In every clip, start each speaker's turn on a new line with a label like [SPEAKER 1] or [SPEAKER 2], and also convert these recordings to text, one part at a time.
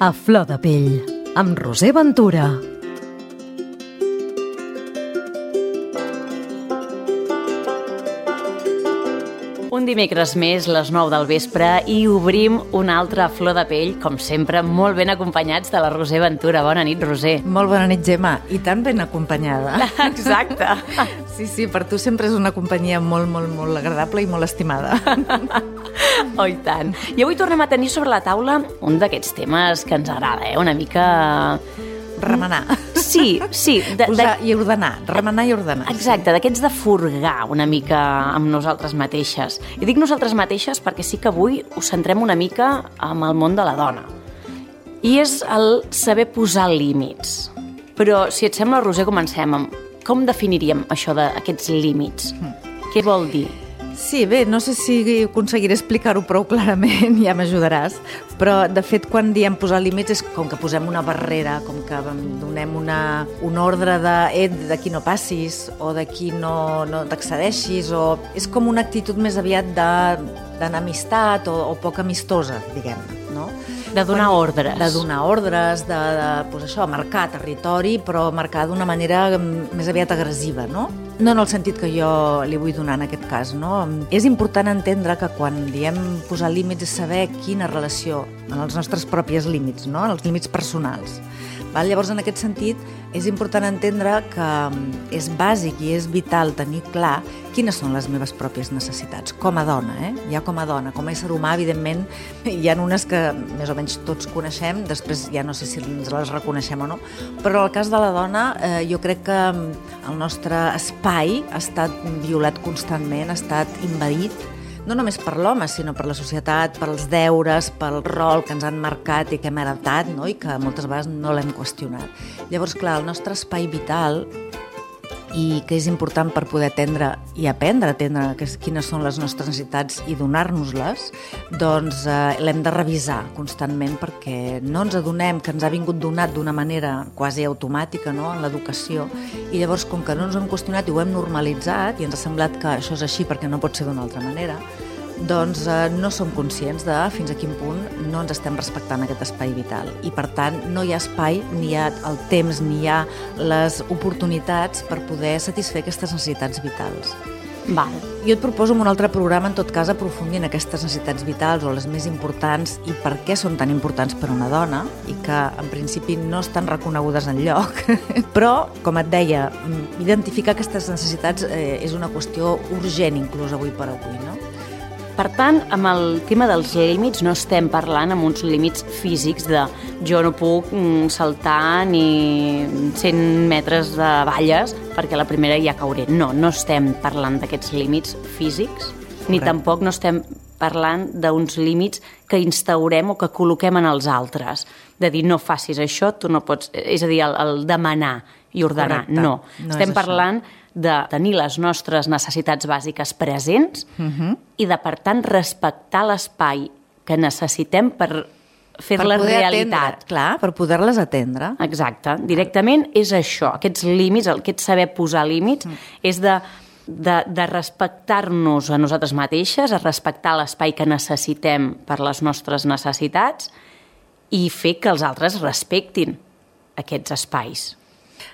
[SPEAKER 1] A flor de pell, amb Roser Ventura. Un dimecres més, les 9 del vespre, i obrim una altra flor de pell, com sempre, molt ben acompanyats de la Roser Ventura. Bona nit, Roser.
[SPEAKER 2] Molt bona nit, Gemma. I tan ben acompanyada.
[SPEAKER 1] Exacte.
[SPEAKER 2] Sí, per tu sempre és una companyia molt agradable i molt estimada.
[SPEAKER 1] Oh, i tant. I avui tornem a tenir sobre la taula un d'aquests temes que ens agrada, una mica...
[SPEAKER 2] Remenar.
[SPEAKER 1] Sí.
[SPEAKER 2] Posar i ordenar, remenar i ordenar.
[SPEAKER 1] Exacte, d'aquests de furgar una mica amb nosaltres mateixes. I dic nosaltres mateixes perquè sí que avui us centrem una mica en el món de la dona. I és el saber posar límits. Però, si et sembla, Roser, comencem amb com definiríem això d'aquests límits? Què vol dir?
[SPEAKER 2] Sí, bé, no sé si aconseguiré explicar-ho prou clarament, ja m'ajudaràs, però de fet quan diem posar límits és com que posem una barrera, com que donem un ordre d'aquí no passis o d'aquí no t'accedeixis, o és com una actitud més aviat d'enemistat o poc amistosa, diguem-ne, no?
[SPEAKER 1] De donar ordres.
[SPEAKER 2] De donar ordres, pues això, marcar territori, però marcar d'una manera més aviat agressiva, no? No en el sentit que jo li vull donar en aquest cas, no? És important entendre que quan diem posar límits és saber quina relació en els nostres propis límits, no? En els límits personals. Llavors, en aquest sentit, és important entendre que és bàsic i és vital tenir clar quines són les meves pròpies necessitats, com a dona, ja com a dona. Com a ésser humà, evidentment, hi ha unes que més o menys tots coneixem, després ja no sé si ens les reconeixem o no, però en el cas de la dona jo crec que el nostre espai ha estat violat constantment, ha estat invadit, no només per l'home, sinó per la societat, per els deures, pel rol que ens han marcat i que hem heretat, no? I que moltes vegades no l'hem qüestionat. Llavors, clar, el nostre espai vital, i que és important per poder atendre i aprendre a atendre quines són les nostres necessitats i donar-nos-les, doncs l'hem de revisar constantment perquè no ens adonem que ens ha vingut donat d'una manera quasi automàtica, no?, en l'educació, i llavors com que no ens ho hem qüestionat i ho hem normalitzat i ens ha semblat que això és així perquè no pot ser d'una altra manera, doncs no som conscients de fins a quin punt no ens estem respectant aquest espai vital. I per tant no hi ha espai, ni hi ha el temps, ni hi ha les oportunitats per poder satisfer aquestes necessitats vitals.
[SPEAKER 1] Val.
[SPEAKER 2] Jo et proposo en un altre programa, en tot cas, aprofundir en aquestes necessitats vitals o les més importants i per què són tan importants per a una dona i que en principi no estan reconegudes enlloc. Però, com et deia, identificar aquestes necessitats és una qüestió urgent inclús avui per avui, no?
[SPEAKER 1] Per tant, amb el tema dels límits no estem parlant amb uns límits físics de jo no puc saltar ni 100 metres de valles perquè la primera ja cauré. No estem parlant d'aquests límits físics, ni tampoc no estem parlant d'uns límits que instaurem o que col·loquem en els altres. De dir, no facis això, tu no pots... És a dir, el demanar i ordenar.
[SPEAKER 2] Correcte.
[SPEAKER 1] No estem parlant de tenir les nostres necessitats bàsiques presents i de, per tant, respectar l'espai que necessitem per fer-les realitat.
[SPEAKER 2] Clar, per poder-les atendre.
[SPEAKER 1] Exacte. Directament és això, aquests límits, aquest saber posar límits, és de respectar-nos a nosaltres mateixes, a respectar l'espai que necessitem per les nostres necessitats i fer que els altres respectin aquests espais.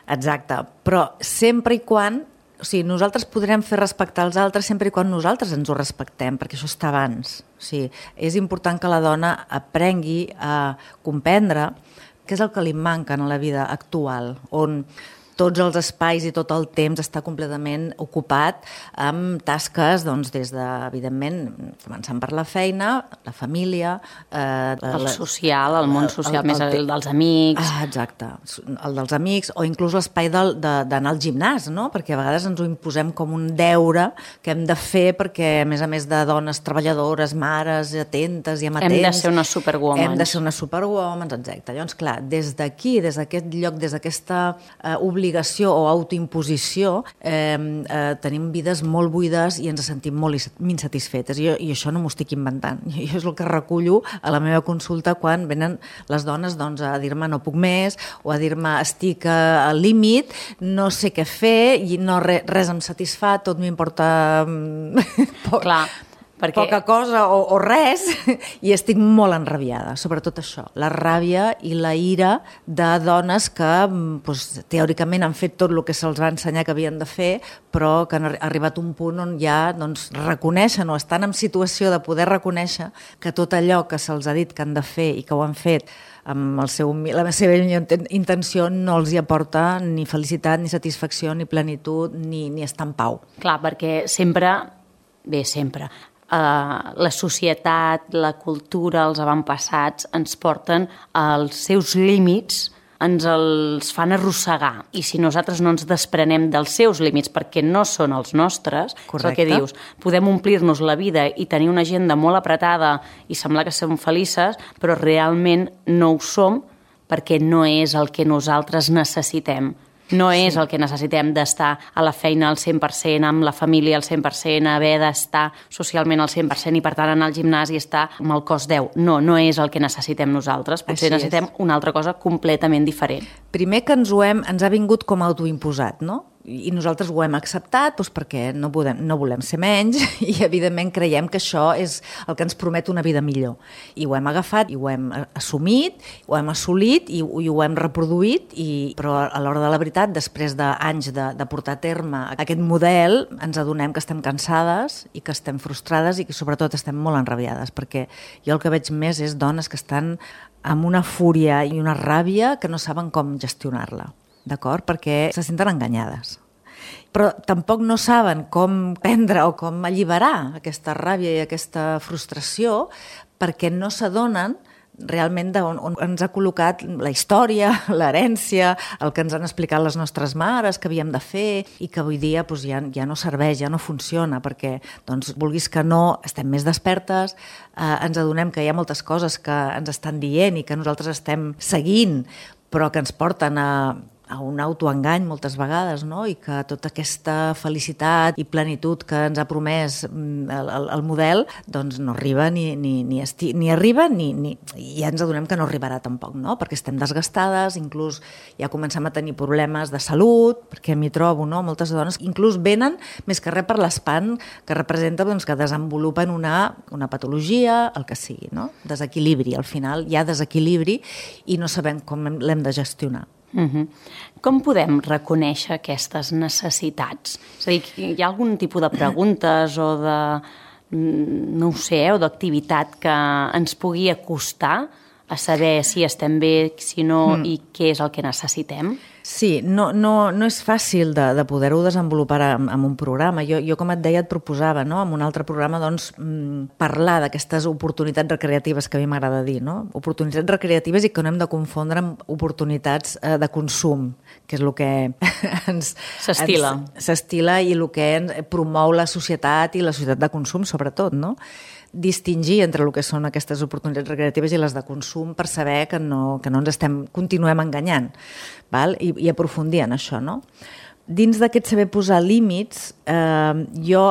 [SPEAKER 2] Exacte, però sempre i quan, o sigui, nosaltres podrem fer respectar els altres sempre i quan nosaltres ens ho respectem, perquè això està abans. O sigui, és important que la dona aprengui a comprendre què és el que li manca en la vida actual, on tots els espais i tot el temps està completament ocupat amb tasques, doncs, des de, evidentment, començant per la feina, la família...
[SPEAKER 1] el social, el món social, més el dels amics...
[SPEAKER 2] Exacte, el dels amics, o inclús l'espai d'anar al gimnàs, no? Perquè a vegades ens ho imposem com un deure que hem de fer perquè, a més de dones treballadores, mares, atentes i amatents...
[SPEAKER 1] Hem de ser unes superwomans.
[SPEAKER 2] Hem de ser unes superwomans, exacte. Llavors, clar, des d'aquí, des d'aquest lloc, des d'aquesta obligació o autoimposició, tenim vides molt buides i ens sentim molt insatisfetes. I això no m'ho estic inventant. Jo és el que recullo a la meva consulta quan venen les dones a dir-me no puc més o a dir-me estic al límit, no sé què fer i res em satisfà, tot m'importa...
[SPEAKER 1] Clar.
[SPEAKER 2] poca cosa o res, i estic molt enrabiada, sobretot això, la ràbia i la ira de dones que doncs, teòricament han fet tot el que se'ls va ensenyar que havien de fer, però que han arribat a un punt on ja doncs, reconeixen o estan en situació de poder reconèixer que tot allò que se'ls ha dit que han de fer i que ho han fet amb la seva intenció no els hi aporta ni felicitat, ni satisfacció, ni plenitud, ni estar en pau.
[SPEAKER 1] Clar, perquè sempre, la societat, la cultura, els avantpassats ens porten als seus límits, ens els fan arrossegar, i si nosaltres no ens desprenem dels seus límits perquè no són els nostres, és el que dius, podem omplir-nos la vida i tenir una agenda molt apretada i semblar que som felices, però realment no ho som perquè no és el que nosaltres necessitem. No és el que necessitem d'estar a la feina al 100%, amb la família al 100%, haver d'estar socialment al 100% i per tant anar al gimnàs i estar amb el cos 10. No és el que necessitem nosaltres. Potser necessitem una altra cosa completament diferent.
[SPEAKER 2] Primer que ens ha vingut com autoimposat, no? I nosaltres ho hem acceptat doncs, perquè no volem ser menys i evidentment creiem que això és el que ens promet una vida millor. I ho hem agafat, i ho hem assumit, ho hem assolit i ho hem reproduït, però a l'hora de la veritat, després d'anys de portar a terme aquest model, ens adonem que estem cansades i que estem frustrades i que sobretot estem molt enrabiades, perquè jo el que veig més és dones que estan amb una fúria i una ràbia que no saben com gestionar-la. D'acord? Perquè se senten enganyades. Però tampoc no saben com prendre o com alliberar aquesta ràbia i aquesta frustració perquè no s'adonen realment on ens ha col·locat la història, l'herència, el que ens han explicat les nostres mares que havíem de fer i que avui dia doncs, ja no serveix, ja no funciona, perquè doncs, vulguis que no, estem més despertes, ens adonem que hi ha moltes coses que ens estan dient i que nosaltres estem seguint, però que ens porten a un autoengany moltes vegades, no? I que tota aquesta felicitat i plenitud que ens ha promès el model doncs no arriba ni arriba i ja ens adonem que no arribarà tampoc, no? Perquè estem desgastades, inclús ja comencem a tenir problemes de salut, perquè m'hi trobo, no? Moltes dones inclús venen més que res per l'espant que representa doncs, que desenvolupen una patologia, el que sigui, no? Desequilibri, al final hi ha desequilibri i no sabem com l'hem de gestionar.
[SPEAKER 1] Com podem reconèixer aquestes necessitats? És a dir, hi ha algun tipus de preguntes o de, no ho sé, o d'activitat que ens pugui acostar a saber si estem bé, si no, i què és el que necessitem?
[SPEAKER 2] Sí, no és fàcil de poder-ho desenvolupar en un programa. Jo, com et deia, et proposava, no? En un altre programa, doncs, parlar d'aquestes oportunitats recreatives que a mi m'agrada dir, no? Oportunitats recreatives i que no hem de confondre amb oportunitats de consum, que és el que s'estila i el que promou la societat i la societat de consum, sobretot, no? Distingir entre el que són aquestes oportunitats recreatives i les de consum per saber que no ens continuem enganyant, val? I aprofundir en això, no? Dins d'aquest saber posar límits, jo,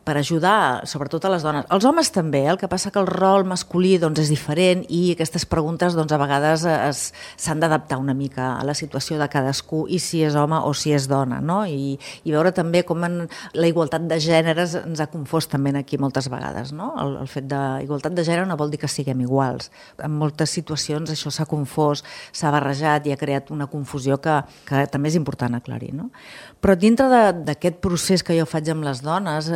[SPEAKER 2] per ajudar, sobretot a les dones, als homes també, el que passa que el rol masculí doncs, és diferent i aquestes preguntes doncs, a vegades s'han d'adaptar una mica a la situació de cadascú i si és home o si és dona, no? I veure també com la igualtat de gèneres ens ha confós també aquí moltes vegades, no? El fet d'igualtat de gènere no vol dir que siguem iguals. En moltes situacions això s'ha confós, s'ha barrejat i ha creat una confusió que també és important aclarir, no? Però dintre d'aquest procés que jo faig amb les dones,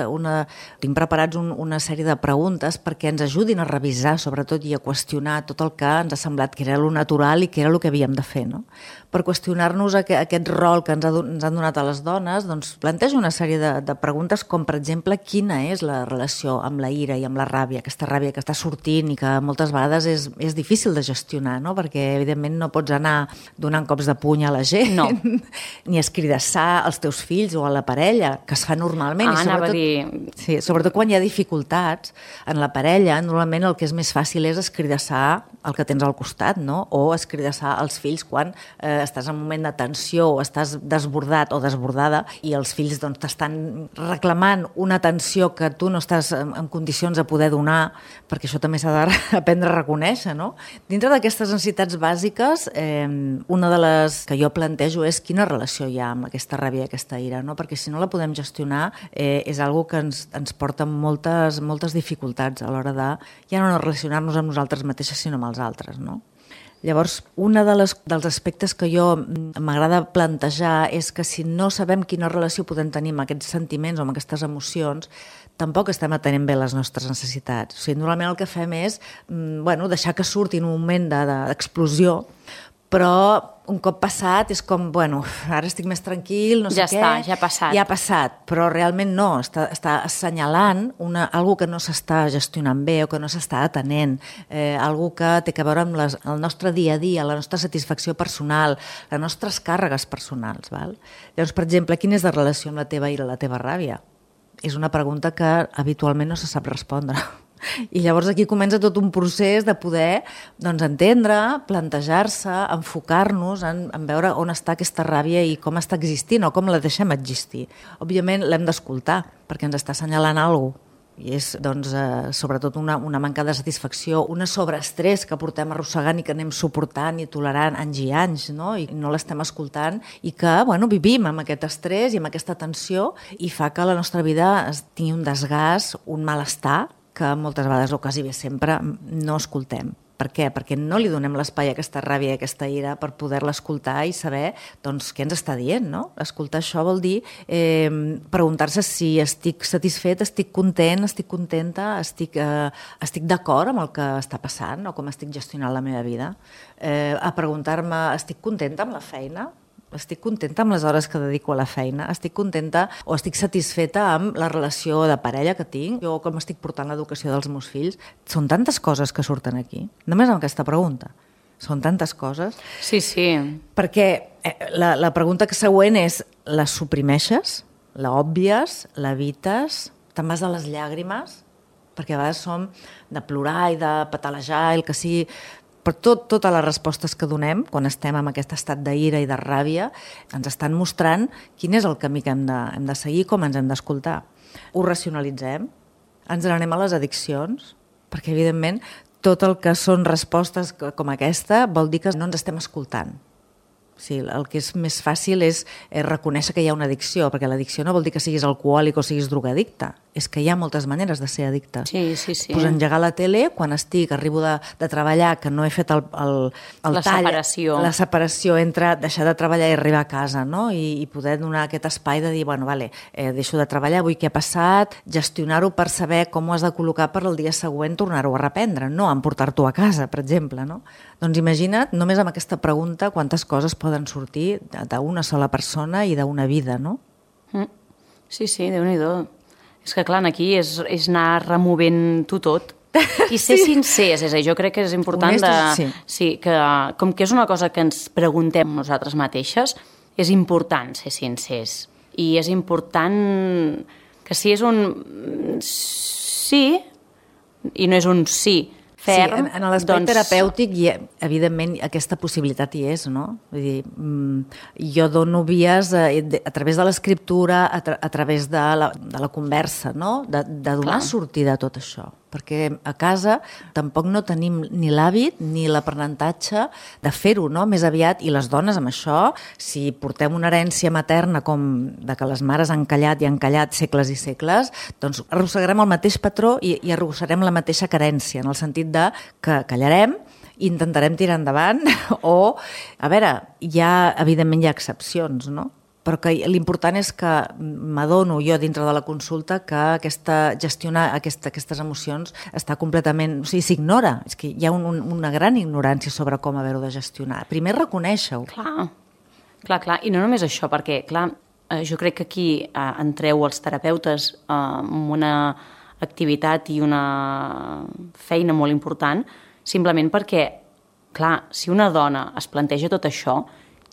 [SPEAKER 2] tinc preparats una sèrie de preguntes perquè ens ajudin a revisar, sobretot, i a qüestionar tot el que ens ha semblat que era lo natural i que era el que havíem de fer, no? Per qüestionar-nos aquest rol que ens han donat a les dones, doncs plantejo una sèrie de preguntes com, per exemple, quina és la relació amb la ira i amb la ràbia, aquesta ràbia que està sortint i que moltes vegades és difícil de gestionar, no? Perquè, evidentment, no pots anar donant cops de puny a la gent,
[SPEAKER 1] no.
[SPEAKER 2] Ni escridassar als teus fills o a la parella, que es fa normalment. Sí, sobretot quan hi ha dificultats en la parella, normalment el que és més fàcil és escridassar el que tens al costat, no? O escridassar els fills quan estàs en un moment de tensió o estàs desbordat o desbordada i els fills doncs, t'estan reclamant una atenció que tu no estàs en condicions de poder donar, perquè això també s'ha d'aprendre a reconèixer, no? Dintre d'aquestes necessitats bàsiques, una de les que jo plantejo és quina relació hi ha amb aquesta ràbia i aquesta ira, no? Perquè si no la podem gestionar és algo que ens porta moltes dificultats a l'hora de ja no relacionar-nos amb nosaltres mateixes, sinó amb els altres, no? Llavors, un dels aspectes que jo m'agrada plantejar és que si no sabem quina relació podem tenir amb aquests sentiments o amb aquestes emocions, tampoc estem atenent bé les nostres necessitats. O sigui, normalment el que fem és deixar que surti en un moment d'explosió, però un cop passat és com, ara estic més tranquil, no sé què.
[SPEAKER 1] Ja està, ja ha passat.
[SPEAKER 2] Ja ha passat, però realment no, està assenyalant algo que no s'està gestionant bé o que no s'està atenent, algo que té a veure amb el nostre dia a dia, la nostra satisfacció personal, les nostres càrregues personals. Val? Llavors, per exemple, quina és la relació amb la teva ira, la teva ràbia? És una pregunta que habitualment no se sap respondre. I llavors aquí comença tot un procés de poder entendre, plantejar-se, enfocar-nos en veure on està aquesta ràbia i com està existint o com la deixem existir. Òbviament l'hem d'escoltar perquè ens està assenyalant alguna cosa. I és sobretot una manca de satisfacció, un sobreestrès que portem arrossegant i que anem suportant i tolerant anys i anys, no? I no l'estem escoltant i que vivim amb aquest estrès i amb aquesta tensió i fa que la nostra vida tingui un desgast, un malestar que moltes vegades o quasi bé sempre no escoltem. Per què? Perquè no li donem l'espai a aquesta ràbia i a aquesta ira per poder-la escoltar i saber què ens està dient, no? Escoltar això vol dir preguntar-se si estic satisfet, estic content, estic contenta, estic d'acord amb el que està passant o com estic gestionant la meva vida. A preguntar-me, estic contenta amb la feina? Estic contenta amb les hores que dedico a la feina? Estic contenta o estic satisfeta amb la relació de parella que tinc? Jo com estic portant l'educació dels meus fills? Són tantes coses que surten aquí, només amb aquesta pregunta. Són tantes coses.
[SPEAKER 1] Sí, sí.
[SPEAKER 2] Perquè la pregunta següent és, la suprimeixes? La òbvies? L'evites? Te'n vas a les llàgrimes? Perquè a vegades som de plorar i de patalejar, el que sigui. Per totes les respostes que donem, quan estem en aquest estat d'ira i de ràbia, ens estan mostrant quin és el camí que hem de seguir, com ens hem d'escoltar. Ho racionalitzem, ens n'anem a les addiccions, perquè, evidentment, tot el que són respostes com aquesta vol dir que no ens estem escoltant. Sí, el que és més fàcil és reconèixer que hi ha una addicció, perquè l'addicció no vol dir que siguis alcohòlic o siguis drogadicte, és que hi ha moltes maneres de ser addicte.
[SPEAKER 1] Sí, sí, sí.
[SPEAKER 2] Pues engegar la tele, quan arribo de treballar, que no he fet el tall, la separació entre deixar de treballar i arribar a casa, no? I poder donar aquest espai de dir, deixo de treballar, vull què ha passat, gestionar-ho per saber com ho has de col·locar per el dia següent, tornar-ho a reprendre, no emportar-t'ho a casa, per exemple, no? Doncs imagina't, només amb aquesta pregunta, quantes coses poden sortir d'una sola persona i d'una vida, no?
[SPEAKER 1] Sí, sí, Déu-n'hi-do. És que, clar, aquí és anar removent-ho tot i ser sincers. És a dir, jo crec que és important que, com que és una cosa que ens preguntem nosaltres mateixes, és important ser sincers. I és important que si és un sí i no és un sí ferm...
[SPEAKER 2] Sí, en l'aspecte terapèutic, evidentment, aquesta possibilitat hi és, no? Vull dir, jo dono vies a través de l'escriptura, a través de la conversa, no? De donar sortida a tot això. Perquè a casa tampoc no tenim ni l'hàbit ni l'aprenentatge de fer-ho, no? Més aviat, i les dones amb això, si portem una herència materna com de que les mares han callat i han callat segles i segles, doncs arrossegarem el mateix patró i arrossegarem la mateixa carència, en el sentit de que callarem i intentarem tirar endavant o, a veure, evidentment hi ha excepcions, no? Però que l'important és que m'adono jo dintre de la consulta que gestionar aquestes emocions està completament... O sigui, s'ignora. És que hi ha una gran ignorància sobre com haver-ho de gestionar. Primer reconèixer-ho.
[SPEAKER 1] Clar. I no només això, perquè, clar, jo crec que aquí entreu els terapeutes amb una activitat i una feina molt important, simplement perquè, clar, si una dona es planteja tot això,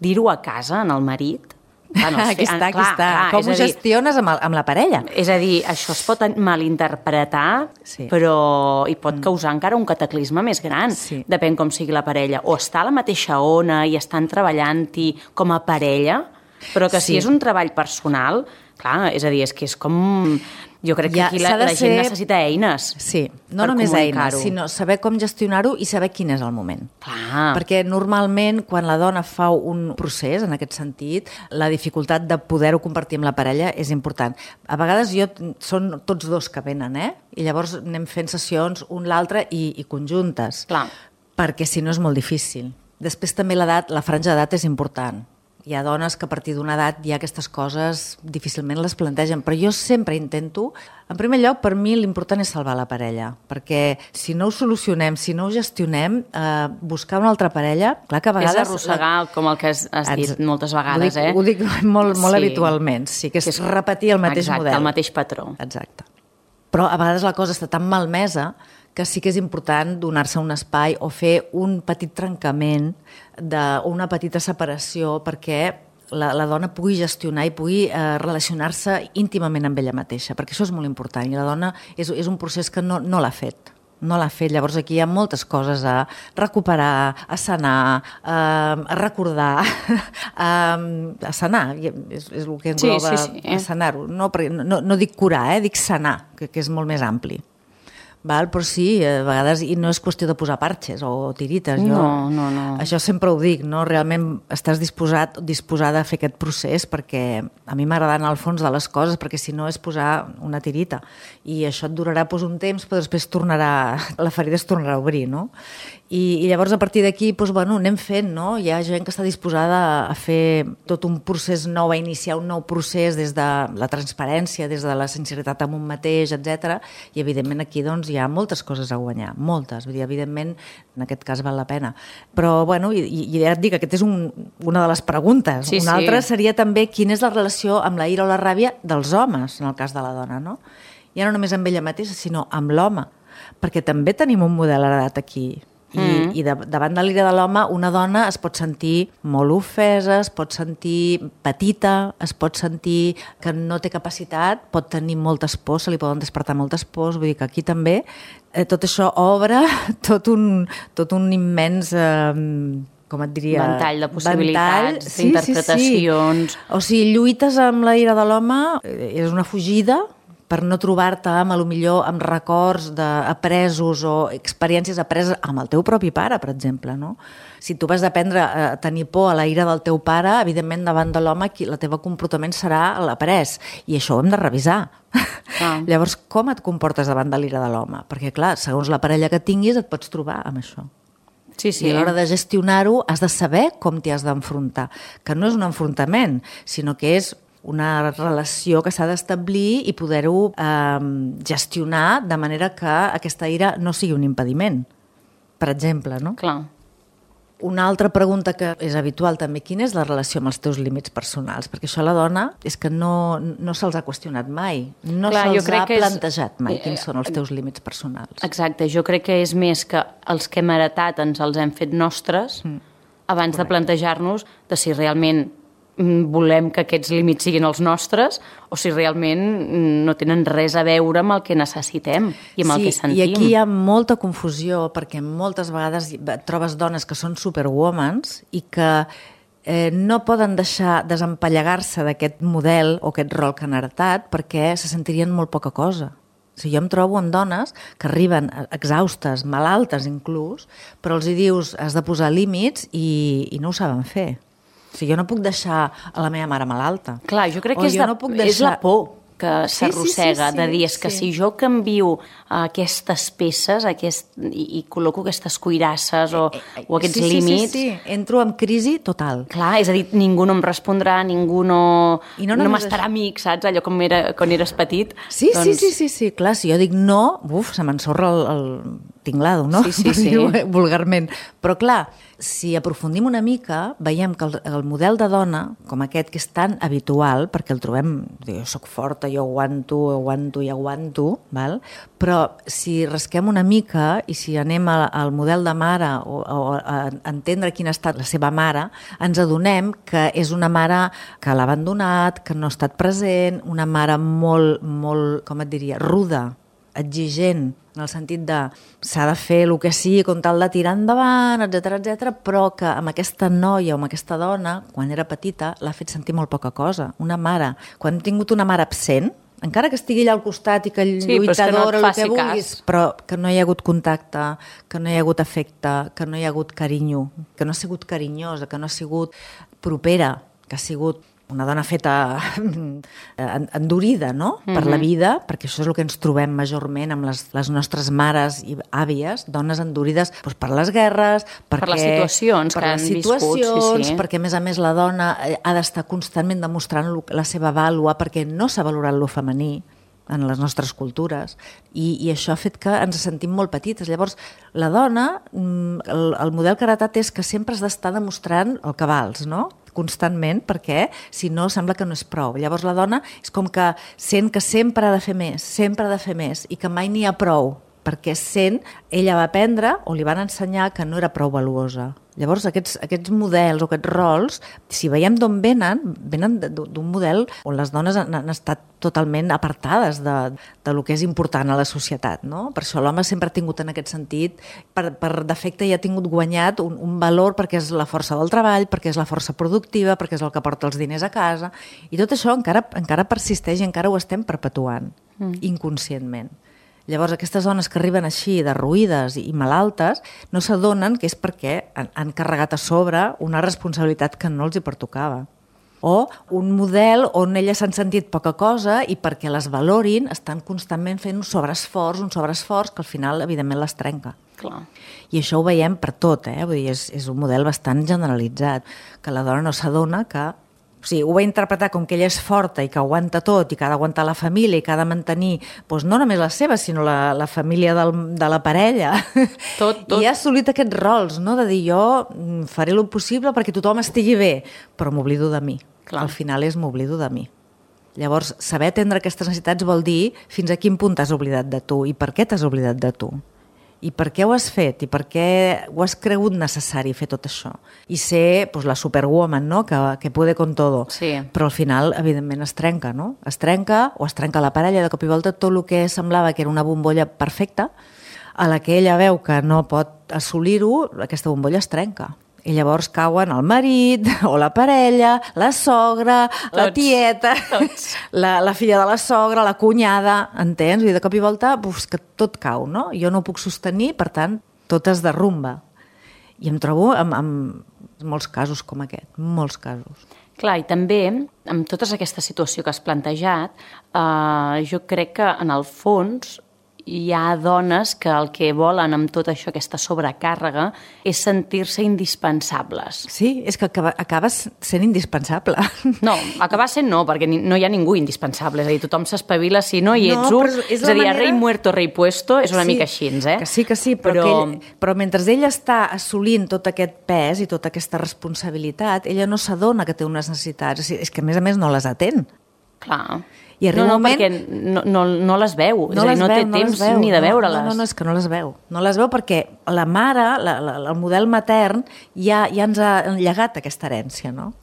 [SPEAKER 1] dir-ho a casa, en el marit...
[SPEAKER 2] Aquí està. Com ho gestiones amb la parella?
[SPEAKER 1] És a dir, això es pot malinterpretar, però hi pot causar encara un cataclisme més gran. Depèn com sigui la parella. O està a la mateixa ona i estan treballant-hi com a parella, però que si és un treball personal, Clar, és a dir, és que és com... Jo crec que aquí la gent necessita eines.
[SPEAKER 2] Sí, no només eines, sinó saber com gestionar-ho i saber quin és el moment.
[SPEAKER 1] Clar.
[SPEAKER 2] Perquè normalment, quan la dona fa un procés, en aquest sentit, la dificultat de poder-ho compartir amb la parella és important. A vegades són tots dos que venen, i llavors anem fent sessions un l'altre i conjuntes.
[SPEAKER 1] Clar.
[SPEAKER 2] Perquè si no és molt difícil. Després també l'edat, la franja d'edat és important. Hi ha dones que a partir d'una edat ja aquestes coses difícilment les plantegen, però jo sempre intento, en primer lloc, per mi l'important és salvar la parella, perquè si no ho solucionem, si no ho gestionem, buscar una altra parella, clar que a vegades...
[SPEAKER 1] És arrossegar, com el que has dit moltes vegades,
[SPEAKER 2] Ho dic molt habitualment, sí, que és repetir el mateix model.
[SPEAKER 1] Exacte, el mateix patró.
[SPEAKER 2] Exacte. Però a vegades la cosa està tan malmesa que sí que és important donar-se un espai o fer un petit trencament o una petita separació perquè la dona pugui gestionar i pugui relacionar-se íntimament amb ella mateixa, perquè això és molt important i la dona és un procés que no l'ha fet. No l'ha fet, llavors aquí hi ha moltes coses a recuperar, a sanar, a recordar, a sanar, és el que engloba a sanar-ho. No dic curar, dic sanar, que és molt més ampli. Val? Però sí, a vegades, i no és qüestió de posar parxes o tirites.
[SPEAKER 1] No.
[SPEAKER 2] Això sempre ho dic, no? Realment estàs disposada a fer aquest procés perquè a mi m'agrada anar al fons de les coses, perquè si no és posar una tirita. I això et durarà un temps, però després la ferida es tornarà a obrir, no? I llavors a partir d'aquí anem fent, no? Hi ha gent que està disposada a fer tot un procés nou, a iniciar un nou procés des de la transparència, des de la sinceritat amb un mateix, etc. I evidentment aquí hi ha moltes coses a guanyar, moltes, vull dir, evidentment en aquest cas val la pena. Però i ja et dic, aquesta és una de les preguntes. Una altra seria també quina és la relació amb la ira o la ràbia dels homes, en el cas de la dona, no? Ja no només amb ella mateixa, sinó amb l'home, perquè també tenim un model heredat aquí. I davant de l'ira de l'home una dona es pot sentir molt ofesa, es pot sentir petita, es pot sentir que no té capacitat, pot tenir moltes pors, se li poden despertar moltes pors, vull dir que aquí també tot això obre tot un immens com et diria...
[SPEAKER 1] Ventall de possibilitats, d'interpretacions...
[SPEAKER 2] Sí. O sigui, lluites amb la ira de l'home, és una fugida per no trobar-te potser amb records apresos o experiències apreses amb el teu propi pare, per exemple, no? Si tu vas aprendre a tenir por a la ira del teu pare, evidentment davant de l'home el teu comportament serà l'après, i això ho hem de revisar. Llavors, com et comportes davant de l'ira de l'home? Perquè, clar, segons la parella que tinguis et pots trobar amb això.
[SPEAKER 1] Sí.
[SPEAKER 2] I a l'hora de gestionar-ho has de saber com t'hi has d'enfrontar, que no és un enfrontament, sinó que és una relació que s'ha d'establir i poder-ho gestionar de manera que aquesta ira no sigui un impediment, per exemple, no?
[SPEAKER 1] Clar.
[SPEAKER 2] Una altra pregunta que és habitual també, quina és la relació amb els teus límits personals? Perquè això a la dona és que no se'ls ha qüestionat mai, se'ls ha plantejat mai quins són els teus límits personals.
[SPEAKER 1] Exacte, jo crec que és més que els que hem heretat ens els hem fet nostres abans de plantejar-nos de si realment volem que aquests límits siguin els nostres o si realment no tenen res a veure amb el que necessitem i amb el que sentim.
[SPEAKER 2] I aquí hi ha molta confusió perquè moltes vegades trobes dones que són superwomans i que no poden deixar desempallegar-se d'aquest model o aquest rol que han heretat perquè se sentirien molt poca cosa. O sigui, jo em trobo amb dones que arriben exhaustes, malaltes inclús, però els hi dius has de posar límits i no ho saben fer. O sigui, jo no puc deixar a la meva mare malalta.
[SPEAKER 1] Clar, jo crec que és la por que s'arrossega, de dir, és que si jo canvio aquestes peces i col·loco aquestes cuirasses o aquests límits...
[SPEAKER 2] Sí, entro en crisi total.
[SPEAKER 1] Clar, és a dir, ningú no em respondrà, ningú no m'estarà amic, saps? Allò com quan eres petit.
[SPEAKER 2] Sí, clar, si jo dic no, se m'ensorra el tinglado, no?
[SPEAKER 1] Sí.
[SPEAKER 2] Vulgarment. Però clar, si aprofundim una mica, veiem que el model de dona, com aquest, que és tan habitual, perquè el trobem, jo soc forta, jo aguanto, val? Però si rasquem una mica i si anem al model de mare o a entendre quina ha estat la seva mare, ens adonem que és una mare que l'ha abandonat, que no ha estat present, una mare molt, molt, com et diria, ruda, exigent, en el sentit de s'ha de fer el que sigui com tal de tirar endavant, etc, però que amb aquesta noia o amb aquesta dona, quan era petita, l'ha fet sentir molt poca cosa. Una mare, quan ha tingut una mare absent, encara que estigui allà al costat i que lluitadora, el que vulguis, però que no hi ha hagut contacte, que no hi ha hagut afecte, que no hi ha hagut carinyo, que no ha sigut carinyosa, que no ha sigut propera, que ha sigut una dona feta endurida, no?, per la vida, perquè això és el que ens trobem majorment amb les nostres mares i àvies, dones endurides per les guerres,
[SPEAKER 1] per les situacions que han viscut,
[SPEAKER 2] perquè a més la dona ha d'estar constantment demostrant la seva vàlua, perquè no s'ha valorat lo femení en les nostres cultures, i això ha fet que ens sentim molt petites. Llavors, la dona, el model que ha heretat és que sempre has d'estar demostrant el que vals, no?, constantment, perquè si no sembla que no és prou. Llavors la dona és com que sent que sempre ha de fer més, i que mai n'hi ha prou, perquè ella va aprendre o li van ensenyar que no era prou valuosa. Llavors aquests models o aquests rols, si veiem d'on venen d'un model on les dones han estat totalment apartades de lo que és important a la societat, no? Per això l'home sempre ha tingut en aquest sentit, per defecte ja ha tingut guanyat un valor, perquè és la força del treball, perquè és la força productiva, perquè és el que porta els diners a casa, i tot això encara persisteix i encara ho estem perpetuant, inconscientment. Llavors, aquestes dones que arriben així, derruïdes i malaltes, no s'adonen que és perquè han carregat a sobre una responsabilitat que no els hi pertocava. O un model on elles s'han sentit poca cosa i perquè les valorin estan constantment fent un sobreesforç que al final, evidentment, les trenca.
[SPEAKER 1] Clar.
[SPEAKER 2] I això ho veiem per tot, Vull dir, és un model bastant generalitzat, que la dona no s'adona que... O sigui, ho va interpretar com que ella és forta i que aguanta tot i que ha d'aguantar la família i que ha de mantenir no només la seva, sinó la família de la parella.
[SPEAKER 1] Tot.
[SPEAKER 2] I ha assolit aquests rols, no?, de dir jo faré el possible perquè tothom estigui bé, però m'oblido de mi.
[SPEAKER 1] Clar.
[SPEAKER 2] Al final m'oblido de mi. Llavors, saber atendre aquestes necessitats vol dir fins a quin punt t'has oblidat de tu i per què t'has oblidat de tu. I per què ho has fet? I per què ho has cregut necessari fer tot això? I ser la superwoman, no?, que puede con todo.
[SPEAKER 1] Sí.
[SPEAKER 2] Però al final, evidentment, es trenca, no? Es trenca la parella, de cop i volta tot el que semblava que era una bombolla perfecta, a la que ella veu que no pot assolir-ho, aquesta bombolla es trenca. I llavors cauen el marit, o la parella, la sogra, la tieta, la filla de la sogra, la cunyada, entens? I de cop i volta, que tot cau, no? Jo no ho puc sostenir, per tant, tot es derrumba. I em trobo amb molts casos com aquest, molts casos.
[SPEAKER 1] Clar, i també, amb tota aquesta situació que has plantejat, jo crec que, en el fons, hi ha dones que el que volen amb tot això, aquesta sobrecàrrega, és sentir-se indispensables.
[SPEAKER 2] Sí, és que acabes sent indispensable.
[SPEAKER 1] No, acabar sent no, perquè no hi ha ningú indispensable. És a dir, tothom s'espavila si no hi ets un. És a dir, rei muerto, rei puesto, és una mica així,
[SPEAKER 2] Que sí, però mentre ella està assolint tot aquest pes i tota aquesta responsabilitat, ella no s'adona que té unes necessitats. És que, a més, no les atén.
[SPEAKER 1] Clar.
[SPEAKER 2] I
[SPEAKER 1] perquè no les veu, és a dir, no té temps ni de veure-les.
[SPEAKER 2] No, és que no les veu. No les veu perquè la mare, el model matern, ja ens ha llegat aquesta herència, no?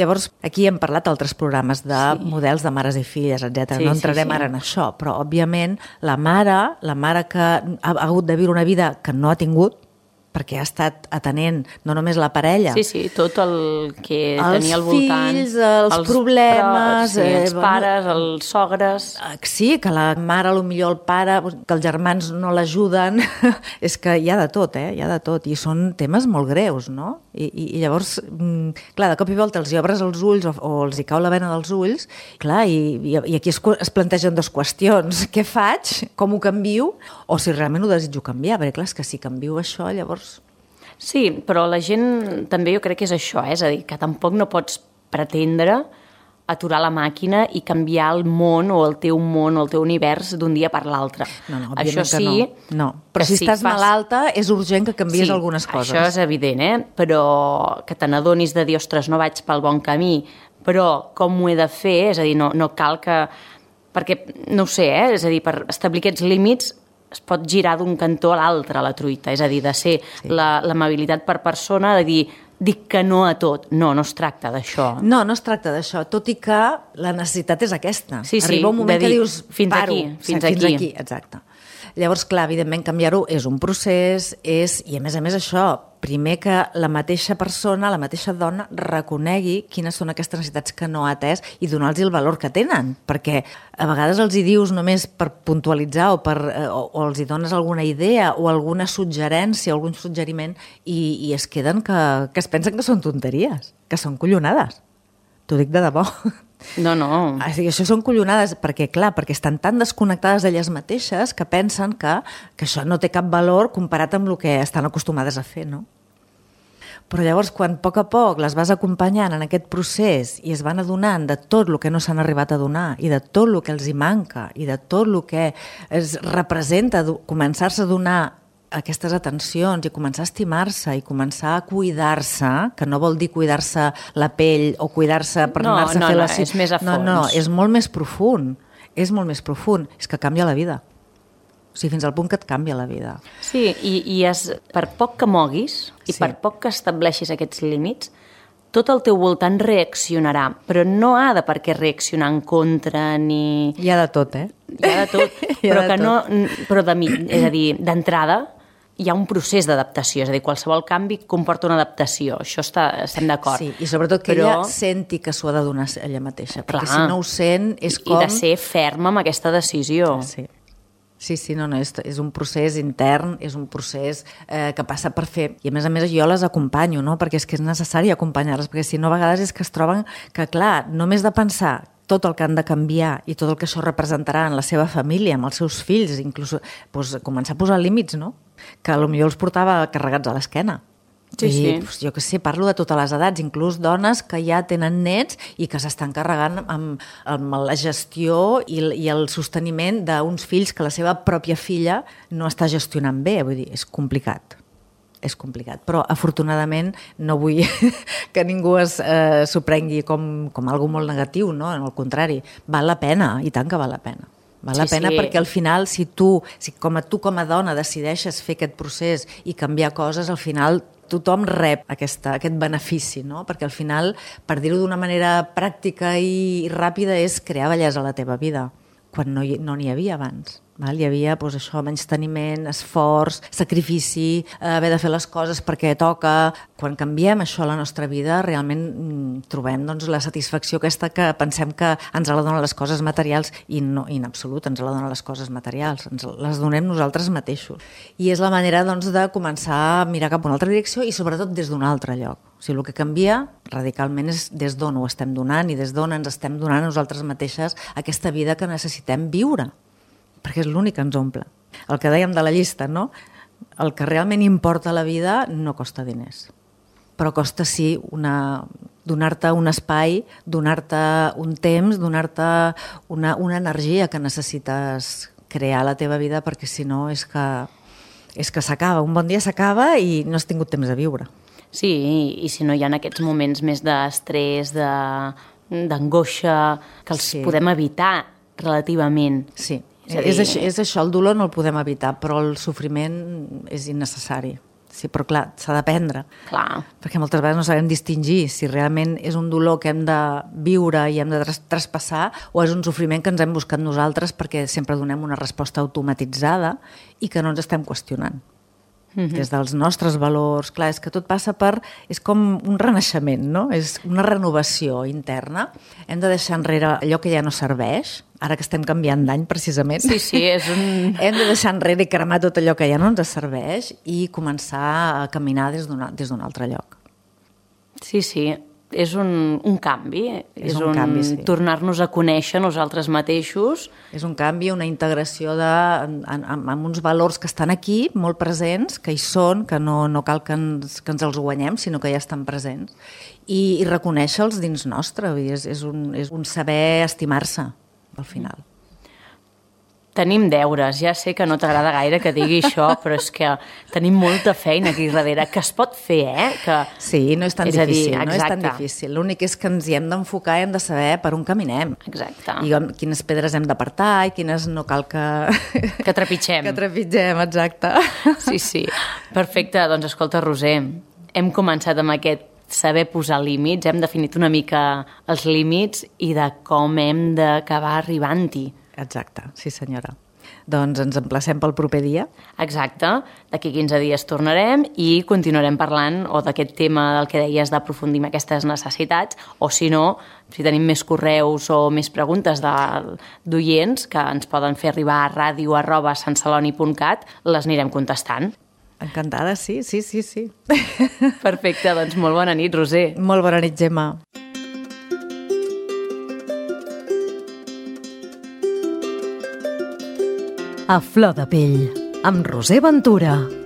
[SPEAKER 2] Llavors, aquí hem parlat d'altres programes de models de mares i filles, etc. No entrarem ara en això, però, òbviament, la mare que ha hagut de viure una vida que no ha tingut, perquè ha estat atenent no només la parella...
[SPEAKER 1] Sí, tot el que tenia al voltant.
[SPEAKER 2] Els fills, els problemes...
[SPEAKER 1] els pares, els sogres...
[SPEAKER 2] Sí, que la mare, potser el pare, que els germans no l'ajuden... És que hi ha de tot, hi ha de tot. I són temes molt greus, no? I llavors, clar, de cop i volta els hi obres els ulls o els hi cau la vena dels ulls, clar, i aquí es plantegen dues qüestions. Què faig? Com ho canvio? O si realment ho desitjo canviar, perquè clar, és que si canvio això, llavors...
[SPEAKER 1] Sí, però la gent també jo crec que és això, és a dir, que tampoc no pots pretendre aturar la màquina i canviar el món o el teu univers d'un dia per l'altre.
[SPEAKER 2] No, òbviament això sí, que no. Però si estàs malalta és urgent que canvies algunes coses.
[SPEAKER 1] Això és evident, però que te n'adonis de dir, ostres, no vaig pel bon camí, però com ho he de fer? És a dir, no cal que... Perquè, no ho sé, és a dir, per establir aquests límits es pot girar d'un cantó a l'altre, la truita, és a dir, de ser l'amabilitat per persona, de dir, dic que no a tot. No es tracta d'això.
[SPEAKER 2] No es tracta d'això, tot i que la necessitat és aquesta.
[SPEAKER 1] Sí,
[SPEAKER 2] Arriba un moment que dius,
[SPEAKER 1] fins
[SPEAKER 2] paro.
[SPEAKER 1] Fins aquí.
[SPEAKER 2] Exacte. Llavors, clar, evidentment, canviar-ho és un procés, i a més això, primer que la mateixa persona, la mateixa dona, reconegui quines són aquestes necessitats que no ha atès i donar-los el valor que tenen, perquè a vegades els hi dius només per puntualitzar o els hi dones alguna idea o alguna suggerència, algun suggeriment, i es queden que es pensen que són tonteries, que són collonades. T'ho dic de debò.
[SPEAKER 1] No.
[SPEAKER 2] Això són collonades perquè estan tan desconnectades d'elles mateixes que pensen que això no té cap valor comparat amb el que estan acostumades a fer, no? Però llavors, quan a poc les vas acompanyant en aquest procés i es van adonant de tot el que no s'han arribat a donar i de tot el que els hi manca i de tot el que es representa començar-se a donar aquestes atencions i començar a estimar-se i començar a cuidar-se, que no vol dir cuidar-se la pell o cuidar-se per anar-se a fer la...
[SPEAKER 1] és més a fons.
[SPEAKER 2] No, és molt més profund. És molt més profund. És que canvia la vida. O sigui, fins al punt que et canvia la vida.
[SPEAKER 1] Sí, i per poc que moguis i per poc que estableixis aquests límits, tot el teu voltant reaccionarà, però no ha de per què reaccionar en contra ni...
[SPEAKER 2] Hi ha de tot, eh?
[SPEAKER 1] Hi ha de tot, però és a dir, d'entrada hi ha un procés d'adaptació, és a dir, qualsevol canvi comporta una adaptació, això estem d'acord.
[SPEAKER 2] Sí, i sobretot que ella senti que s'ho ha de donar ella mateixa, perquè si no ho sent és com...
[SPEAKER 1] I de ser ferma amb aquesta decisió.
[SPEAKER 2] Sí, no, és un procés intern, és un procés que passa per fer... I a més jo les acompanyo, no? Perquè és que és necessari acompanyar-les, perquè si no a vegades és que es troben que, clar, només de pensar tot el que han de canviar i tot el que això representarà en la seva família, amb els seus fills, inclús començar a posar límits, no? Que potser els portava carregats a l'esquena.
[SPEAKER 1] Sí.
[SPEAKER 2] Jo què sé, parlo de totes les edats, inclús dones que ja tenen nets i que s'estan carregant amb la gestió i el sosteniment d'uns fills que la seva pròpia filla no està gestionant bé. Vull dir, és complicat. És complicat, però afortunadament no vull que ningú s'ho prengui com algo molt negatiu, no? Al contrari, val la pena, i tant que val la pena. Val la pena perquè al final, si tu com a dona decideixes fer aquest procés i canviar coses, al final tothom rep aquest benefici, no? Perquè al final, per dir-ho d'una manera pràctica i ràpida, és crear bellesa a la teva vida, quan no n'hi havia abans. Hi havia menysteniment, esforç, sacrifici, haver de fer les coses perquè toca. Quan canviem això a la nostra vida, realment trobem la satisfacció aquesta que pensem que ens la donen les coses materials i no, en absolut ens la donen les coses materials, ens les donem nosaltres mateixos. I és la manera de començar a mirar cap a una altra direcció i sobretot des d'un altre lloc. O sigui, el que canvia radicalment és des d'on ho estem donant i des d'on ens estem donant a nosaltres mateixes aquesta vida que necessitem viure, perquè és l'únic que ens omple. El que dèiem de la llista, no? El que realment importa a la vida no costa diners, però costa sí donar-te un espai, donar-te un temps, donar-te una energia que necessites crear a la teva vida, perquè si no és que s'acaba. Un bon dia s'acaba i no has tingut temps de viure.
[SPEAKER 1] Sí, i si no hi ha aquests moments més d'estrès, d'angoixa, que els podem evitar relativament.
[SPEAKER 2] Sí, és això, el dolor no el podem evitar, però el sofriment és innecessari. Sí, però clar, s'ha d'aprendre.
[SPEAKER 1] Clar.
[SPEAKER 2] Perquè moltes vegades no sabem distingir si realment és un dolor que hem de viure i hem de traspassar o és un sofriment que ens hem buscat nosaltres perquè sempre donem una resposta automatitzada i que no ens estem qüestionant. Des dels nostres valors, clar, és que tot passa és com un renaixement, no? És una renovació interna. Hem de deixar enrere allò que ja no serveix, ara que estem canviant d'any precisament.
[SPEAKER 1] Sí, és un...
[SPEAKER 2] Hem de deixar enrere i cremar tot allò que ja no ens serveix i començar a caminar des d'un altre lloc. Sí,
[SPEAKER 1] és un canvi,
[SPEAKER 2] és un canvi, sí.
[SPEAKER 1] Tornar-nos a conèixer nosaltres mateixos.
[SPEAKER 2] És un canvi, una integració amb uns valors que estan aquí, molt presents, que hi són, que no cal que ens els guanyem, sinó que ja estan presents, i reconèixer-los dins nostre. És un saber estimar-se, al final.
[SPEAKER 1] Tenim deures, ja sé que no t'agrada gaire que digui això, però és que tenim molta feina aquí darrere, que es pot fer, que...
[SPEAKER 2] Sí, no és tan difícil. L'únic és que ens hi hem d'enfocar i hem de saber per on caminem.
[SPEAKER 1] Exacte.
[SPEAKER 2] I quines pedres hem d'apartar i quines no cal que...
[SPEAKER 1] Que trepitgem.
[SPEAKER 2] Que trepitgem, exacte.
[SPEAKER 1] Sí. Perfecte, doncs escolta, Roser, hem començat amb aquest saber posar límits, hem definit una mica els límits i de com hem d'acabar arribant-hi.
[SPEAKER 2] Exacte, sí senyora. Doncs ens emplacem pel proper dia.
[SPEAKER 1] Exacte, d'aquí 15 dies tornarem i continuarem parlant o d'aquest tema del que deies d'aprofundir en aquestes necessitats, o si no, si tenim més correus o més preguntes d'oients que ens poden fer arribar a radio@santceloni.cat, les anirem contestant.
[SPEAKER 2] Encantada, sí.
[SPEAKER 1] Perfecte, doncs molt bona nit, Roser.
[SPEAKER 2] Molt bona nit, Gemma.
[SPEAKER 3] A flor de pell, amb Roser Ventura.